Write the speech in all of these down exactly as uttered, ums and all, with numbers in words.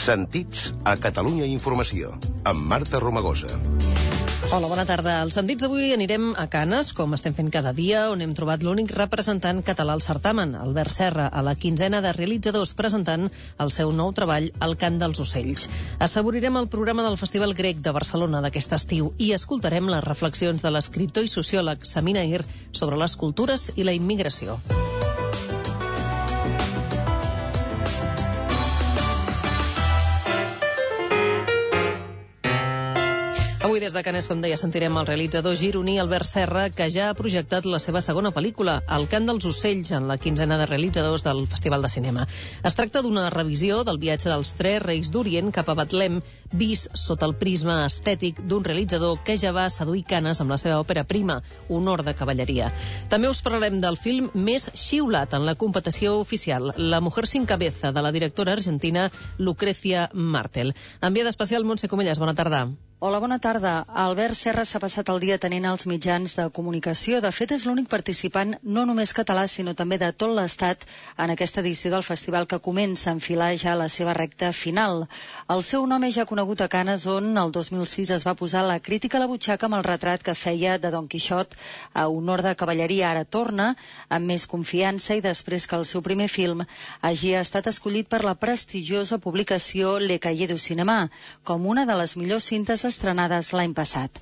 Sentits a Catalunya Informació, amb Marta Romagosa. Hola, bona tarda. Als Sentits d'avui anirem a Canes, com estem fent cada dia, on hem trobat l'únic representant català al certamen, Albert Serra, a la quinzena de realitzadors presentant el seu nou treball, El cant dels ocells. Assaborirem el programa del Festival Grec de Barcelona d'aquest estiu i escoltarem les reflexions de l'escriptor i sociòleg Samina Ir sobre les cultures i la immigració. Avui des de Canes, com deia, sentirem el realitzador gironí Albert Serra, que ja ha projectat la seva segona pel·lícula, El cant dels ocells, en la quinzena de realitzadors del Festival de Cinema. Es tracta d'una revisió del viatge dels tres reis d'Orient cap a Betlem, vist sota el prisma estètic d'un realitzador que ja va seduir Canes amb la seva òpera prima, Honor de cavalleria. També us parlarem del film més xiulat en la competició oficial, La mujer sin cabeza, de la directora argentina Lucrecia Martel. Enviada especial, Montse Comelles, bona tarda. Hola, bona tarda. Albert Serra s'ha passat el dia tenint els mitjans de comunicació. De fet, és l'únic participant, no només català, sinó també de tot l'Estat, en aquesta edició del festival que comença a enfilar ja la seva recta final. El seu nom és ja conegut a Canes, on el dos mil sis es va posar la crítica a la butxaca amb el retrat que feia de Don Quixot a Honor de cavalleria. Ara torna amb més confiança i després que el seu primer film hagi estat escollit per la prestigiosa publicació Le Cahiers du Cinéma com una de les millors cintes estrenades l'any passat.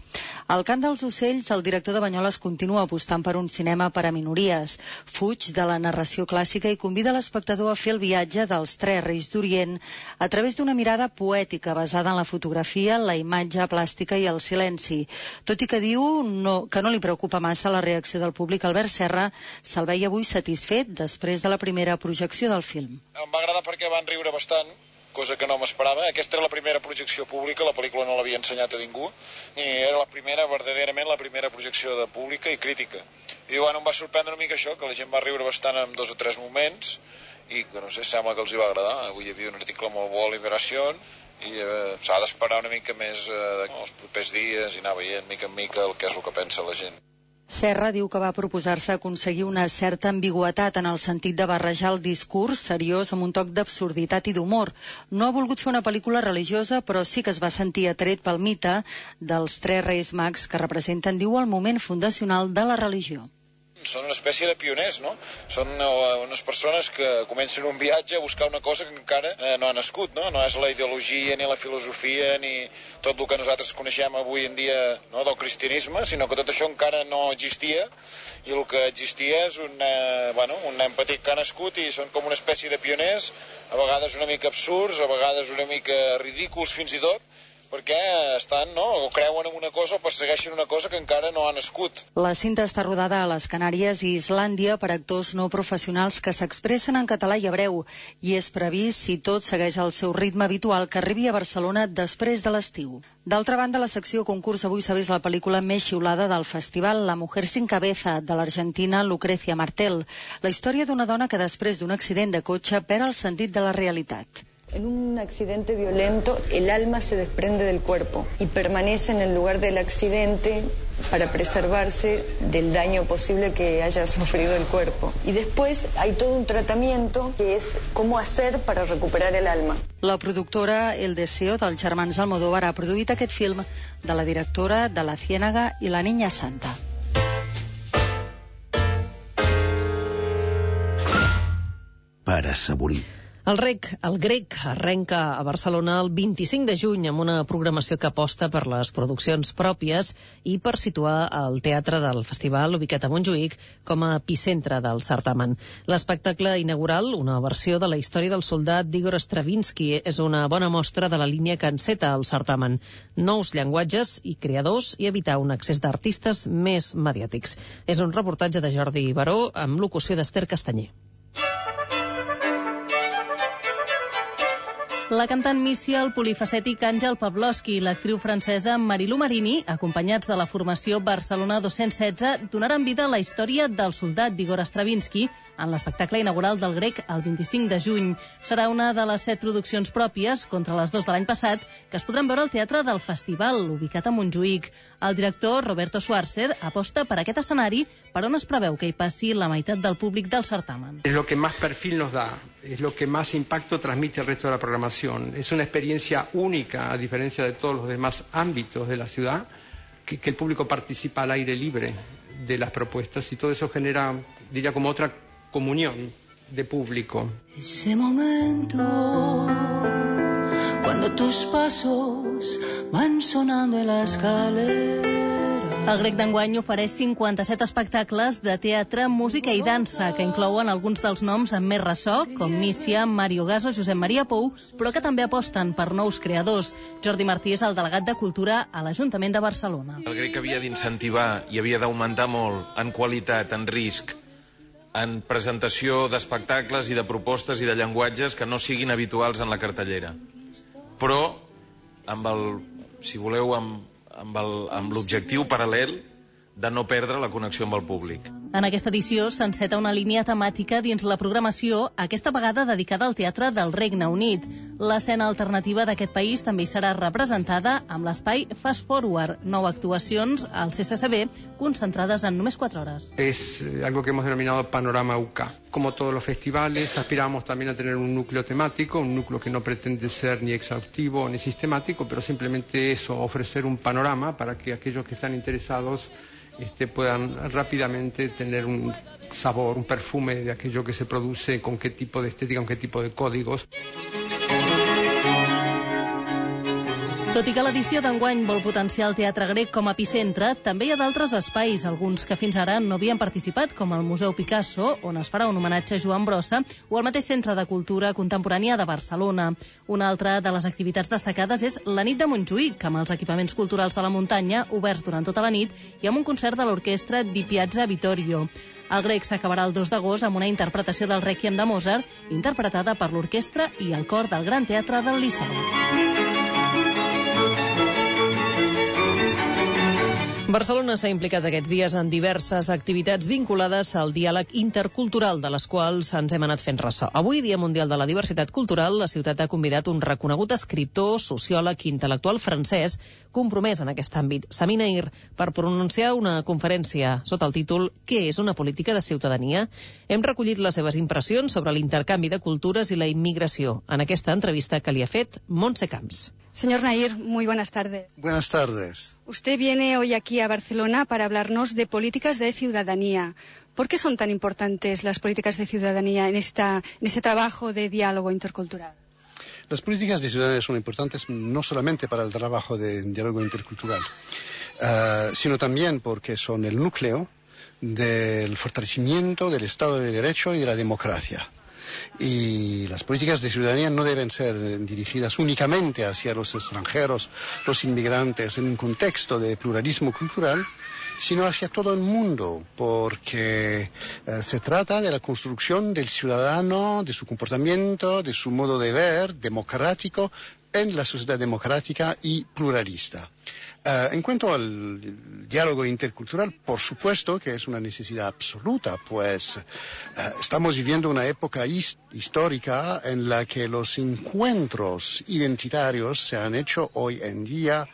Al cant dels ocells, el director de Banyoles continua apostant per un cinema per a minories. Fuig de la narració clàssica i convida l'espectador a fer el viatge dels tres reis d'Orient a través d'una mirada poètica basada en la fotografia, la imatge plàstica i el silenci. Tot i que diu no, que no li preocupa massa la reacció del públic, Albert Serra se'l veia avui satisfet després de la primera projecció del film. Em va agradar perquè van riure bastant, cosa que no m'esperava. Aquesta era la primera projecció pública, la pel·lícula no l'havia ensenyat a ningú, i era la primera, verdaderament la primera projecció de pública i crítica. I bueno, em va sorprendre una mica això, que la gent va riure bastant en dos o tres moments, i que no sé, sembla que els hi va agradar. Avui hi havia un article molt bo a Liberació, i eh, s'ha d'esperar una mica més eh, els propers dies i anar veient mica en mica el que és el que pensa la gent. Serra diu que va proposar-se aconseguir una certa ambigüitat en el sentit de barrejar el discurs seriós amb un toc d'absurditat i d'humor. No ha volgut fer una pel·lícula religiosa, però sí que es va sentir atret pel mite dels tres reis mags que representen, diu, el moment fundacional de la religió. Són una espècie de pioners, no? Són unes persones que comencen un viatge a buscar una cosa que encara eh, no ha nascut, no? No és la ideologia, ni la filosofia, ni tot el que nosaltres coneixem avui en dia, no, del cristianisme, sinó que tot això encara no existia, i el que existia és un, eh, bueno, un nen petit que ha nascut i són com una espècie de pioners, a vegades una mica absurds, a vegades una mica ridículs fins i tot, perquè estan, no, o creuen en una cosa o persegueixen una cosa que encara no ha nascut. La cinta està rodada a les Canàries i Islàndia per actors no professionals que s'expressen en català i hebreu, i és previst, si tot segueix el seu ritme habitual, que arribi a Barcelona després de l'estiu. D'altra banda, la secció concurs avui s'ha vist la pel·lícula més xiulada del festival, La mujer sin cabeza, de l'argentina Lucrecia Martel, la història d'una dona que després d'un accident de cotxe perd el sentit de la realitat. En un accidente violento, el alma se desprende del cuerpo y permanece en el lugar del accidente para preservarse del daño posible que haya sufrido el cuerpo. Y después hay todo un tratamiento que es cómo hacer para recuperar el alma. La productora El Deseo dels germans Almodóvar ha produït aquest film de la directora de La Ciénaga i La Niña Santa. Per assaborir. El rec, el grec, arrenca a Barcelona el vint-i-cinc de juny amb una programació que aposta per les produccions pròpies i per situar el teatre del festival ubicat a Montjuïc com a epicentre del certamen. L'espectacle inaugural, una versió de la història del soldat d'Igor Stravinsky, és una bona mostra de la línia que enceta el certamen. Nous llenguatges i creadors i evitar un accés d'artistes més mediàtics. És un reportatge de Jordi Baró amb locució d'Ester Castanyer. La cantant Missia, el polifacètic Àngel Pavlovsky i l'actriu francesa Marilou Marini, acompanyats de la formació Barcelona dos-cents setze, donaran vida a la història del soldat d'Igor Stravinsky en l'espectacle inaugural del grec el vint-i-cinc de juny. Serà una de les set produccions pròpies, contra les dues de l'any passat, que es podran veure al Teatre del Festival, ubicat a Montjuïc. El director, Roberto Schwarzer, aposta per aquest escenari, per on es preveu que hi passi la meitat del públic del certamen. És lo que más perfil nos da, és lo que más impacto transmite el resto de la programació. programación. Es una experiencia única, a diferencia de todos los demás ámbitos de la ciudad, que, que el público participa al aire libre de las propuestas y todo eso genera, diría, como otra comunión de público. Ese momento, cuando tus pasos van sonando en la escalera. El Grec d'enguany ofereix cinquanta-set espectacles de teatre, música i dansa, que inclouen alguns dels noms amb més ressò, com Mícia, Mario Gaso, Josep Maria Pou, però que també aposten per nous creadors. Jordi Martí és el delegat de Cultura a l'Ajuntament de Barcelona. El Grec havia d'incentivar i havia d'augmentar molt en qualitat, en risc, en presentació d'espectacles i de propostes i de llenguatges que no siguin habituals en la cartellera. Però, amb el, si voleu, amb amb l'objectiu paral·lel de no perdre la connexió amb el públic. En aquesta edició s'enceta una línia temàtica dins la programació, aquesta vegada dedicada al teatre del Regne Unit. L'escena alternativa d'aquest país també hi serà representada amb l'espai Fast Forward, nou actuacions al C C C B concentrades en només quatre hores. Es algo que hemos denominado Panorama U K. Como todos los festivales, aspiramos también a tener un núcleo temático, un núcleo que no pretende ser ni exhaustivo ni sistemático, pero simplemente eso, ofrecer un panorama para que aquellos que están interesados Este, puedan rápidamente tener un sabor, un perfume de aquello que se produce, con qué tipo de estética, con qué tipo de códigos. Tot i que l'edició d'enguany vol potenciar el teatre grec com a epicentre, també hi ha d'altres espais, alguns que fins ara no havien participat, com el Museu Picasso, on es farà un homenatge a Joan Brossa, o el mateix Centre de Cultura Contemporània de Barcelona. Una altra de les activitats destacades és la nit de Montjuïc, amb els equipaments culturals de la muntanya, oberts durant tota la nit, i amb un concert de l'orquestra Di Piazza Vittorio. El Grec s'acabarà el dos d'agost amb una interpretació del Rèquiem de Mozart, interpretada per l'orquestra i el cor del Gran Teatre del Liceu. Barcelona s'ha implicat aquests dies en diverses activitats vinculades al diàleg intercultural, de les quals ens hem anat fent ressò. Avui, Dia Mundial de la Diversitat Cultural, la ciutat ha convidat un reconegut escriptor, sociòleg i intel·lectual francès compromès en aquest àmbit, Sami Naïr, per pronunciar una conferència sota el títol «Què és una política de ciutadania?». Hem recollit les seves impressions sobre l'intercanvi de cultures i la immigració en aquesta entrevista que li ha fet Montse Camps. Señor Naïr, muy buenas tardes. Buenas tardes. Usted viene hoy aquí a Barcelona para hablarnos de políticas de ciudadanía. ¿Por qué son tan importantes las políticas de ciudadanía en, esta, en este trabajo de diálogo intercultural? Las políticas de ciudadanía son importantes no solamente para el trabajo de diálogo intercultural, uh, sino también porque son el núcleo del fortalecimiento del Estado de Derecho y de la democracia. Y las políticas de ciudadanía no deben ser dirigidas únicamente hacia los extranjeros, los inmigrantes, en un contexto de pluralismo cultural, sino hacia todo el mundo, porque eh, se trata de la construcción del ciudadano, de su comportamiento, de su modo de ver democrático en la sociedad democrática y pluralista. Uh, en cuanto al diálogo intercultural, por supuesto que es una necesidad absoluta, pues uh, estamos viviendo una época his- histórica en la que los encuentros identitarios se han hecho hoy en día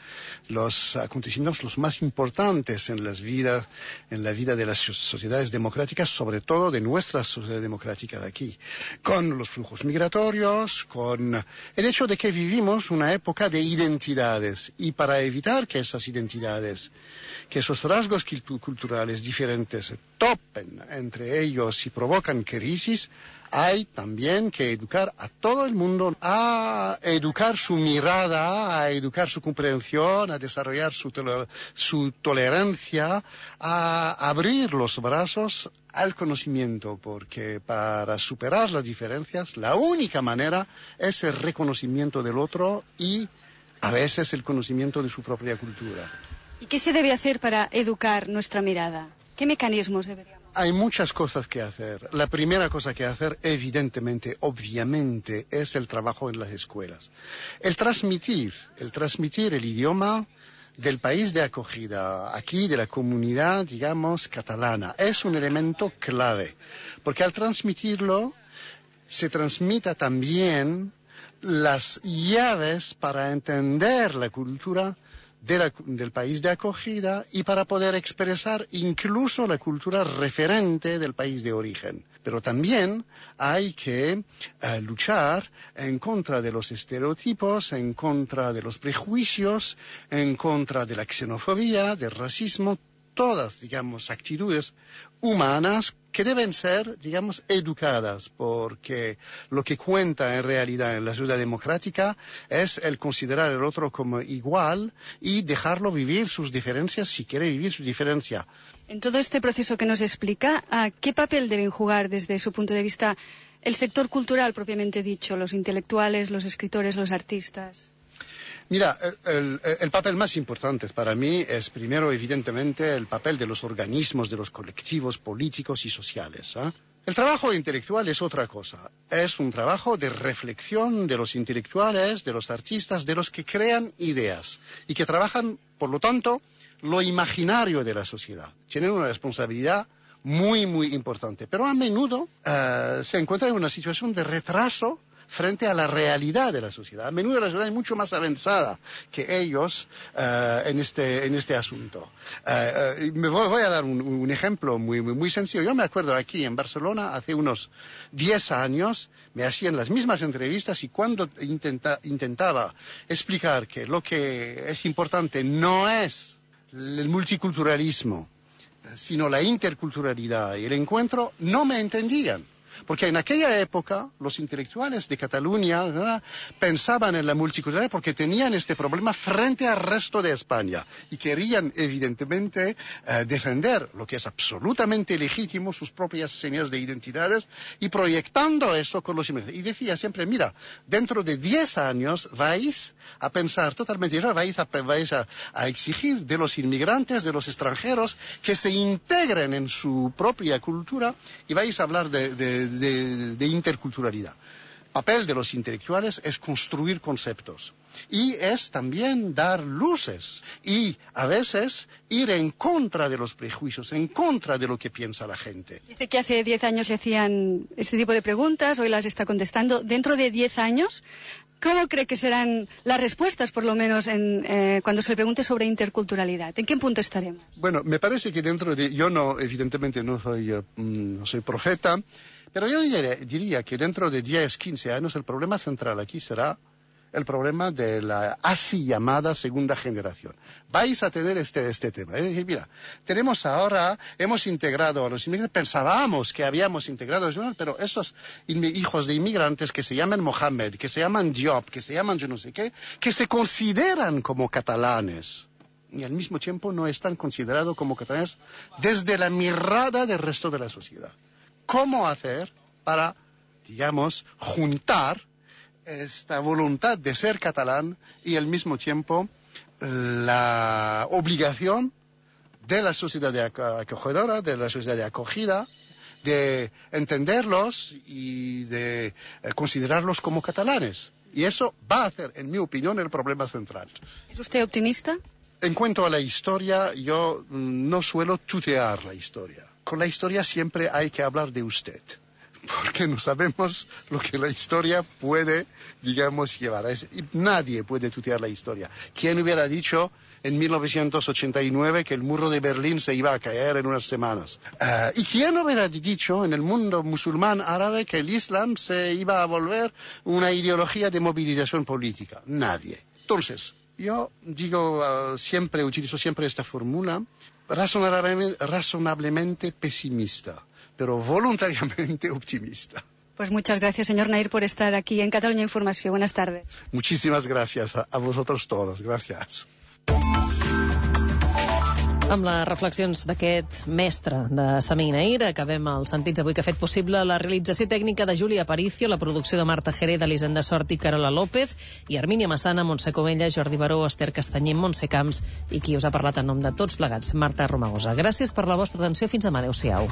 los acontecimientos los más importantes en las vidas, en la vida de las sociedades democráticas, sobre todo de nuestra sociedad democrática de aquí, con los flujos migratorios, con el hecho de que vivimos una época de identidades, y para evitar que esas identidades, que esos rasgos culturales diferentes topen entre ellos y provocan crisis, hay también que educar a todo el mundo, a educar su mirada, a educar su comprensión, a desarrollar su, toler- su tolerancia, a abrir los brazos al conocimiento, porque para superar las diferencias, la única manera es el reconocimiento del otro y a veces el conocimiento de su propia cultura. ¿Y qué se debe hacer para educar nuestra mirada? ¿Qué mecanismos deberíamos? Hay muchas cosas que hacer. La primera cosa que hacer, evidentemente, obviamente, es el trabajo en las escuelas. El transmitir, el transmitir el idioma del país de acogida, aquí de la comunidad, digamos, catalana, es un elemento clave, porque al transmitirlo se transmita también las llaves para entender la cultura de la, del país de acogida y para poder expresar incluso la cultura referente del país de origen. Pero también hay que uh, luchar en contra de los estereotipos, en contra de los prejuicios, en contra de la xenofobia, del racismo, todas, digamos, actitudes humanas que deben ser, digamos, educadas, porque lo que cuenta en realidad en la sociedad democrática es el considerar al otro como igual y dejarlo vivir sus diferencias si quiere vivir su diferencia. En todo este proceso que nos explica, ¿a qué papel deben jugar desde su punto de vista el sector cultural propiamente dicho, los intelectuales, los escritores, los artistas? Mira, el, el papel más importante para mí es primero, evidentemente, el papel de los organismos, de los colectivos políticos y sociales, ¿eh? El trabajo intelectual es otra cosa. Es un trabajo de reflexión de los intelectuales, de los artistas, de los que crean ideas y que trabajan, por lo tanto, lo imaginario de la sociedad. Tienen una responsabilidad muy, muy importante. Pero a menudo uh, se encuentra en una situación de retraso frente a la realidad de la sociedad. A menudo la sociedad es mucho más avanzada que ellos uh, en, este, en este asunto. Uh, uh, me voy, voy a dar un, un ejemplo muy, muy, muy sencillo. Yo me acuerdo aquí en Barcelona, hace unos diez años, me hacían las mismas entrevistas y cuando intenta, intentaba explicar que lo que es importante no es el multiculturalismo, sino la interculturalidad y el encuentro, no me entendían. Porque en aquella época los intelectuales de Cataluña, ¿verdad?, pensaban en la multiculturalidad porque tenían este problema frente al resto de España y querían evidentemente eh, defender lo que es absolutamente legítimo, sus propias señas de identidades y proyectando eso con los inmigrantes. Y decía siempre, mira, dentro de diez años vais a pensar totalmente diferente, vais, a, vais a, a exigir de los inmigrantes, de los extranjeros, que se integren en su propia cultura y vais a hablar de, de De, de interculturalidad. Papel de los intelectuales es construir conceptos y es también dar luces y a veces ir en contra de los prejuicios, en contra de lo que piensa la gente. Dice que hace diez años le hacían este tipo de preguntas, hoy las está contestando. Dentro de diez años, ¿cómo cree que serán las respuestas, por lo menos, en, eh, cuando se le pregunte sobre interculturalidad? ¿En qué punto estaremos? Bueno, me parece que dentro de... Yo no, evidentemente no soy, uh, no soy profeta, pero yo diría, diría que dentro de diez, quince años el problema central aquí será el problema de la así llamada segunda generación. Vais a tener este, este tema. Es decir, mira, tenemos ahora, hemos integrado a los inmigrantes, pensábamos que habíamos integrado a los inmigrantes, pero esos hijos de inmigrantes que se llaman Mohamed, que se llaman Diop, que se llaman yo no sé qué, que se consideran como catalanes y al mismo tiempo no están considerados como catalanes desde la mirada del resto de la sociedad. ¿Cómo hacer para, digamos, juntar esta voluntad de ser catalán y al mismo tiempo la obligación de la sociedad de acogedora, de la sociedad de acogida, de entenderlos y de considerarlos como catalanes? Y eso va a ser, en mi opinión, el problema central. ¿Es usted optimista? En cuanto a la historia, yo no suelo tutear la historia. Con la historia siempre hay que hablar de usted, porque no sabemos lo que la historia puede, digamos, llevar. Es, nadie puede tutear la historia. ¿Quién hubiera dicho en mil novecientos ochenta y nueve que el muro de Berlín se iba a caer en unas semanas? Uh, ¿Y quién hubiera dicho en el mundo musulmán árabe que el Islam se iba a volver una ideología de movilización política? Nadie. Entonces, yo digo, uh, siempre, utilizo siempre esta fórmula, razonablemente, razonablemente pesimista, pero voluntariamente optimista. Pues muchas gracias, señor Nair, por estar aquí en Catalunya Informació. Buenas tardes. Muchísimas gracias a, a vosotros todos. Gracias. Amb les reflexions d'aquest mestre de Sami Nair, acabem els sentits avui que ha fet possible la realització tècnica de Júlia Aparicio, la producció de Marta Jerez, Elisenda Sort i Carola López, i Armínia Massana, Montse Comella, Jordi Baró, Esther Castanyer, Montse Camps, i qui us ha parlat en nom de tots plegats, Marta Romagosa. Gràcies per la vostra atenció. Fins demà. Adéu-siau.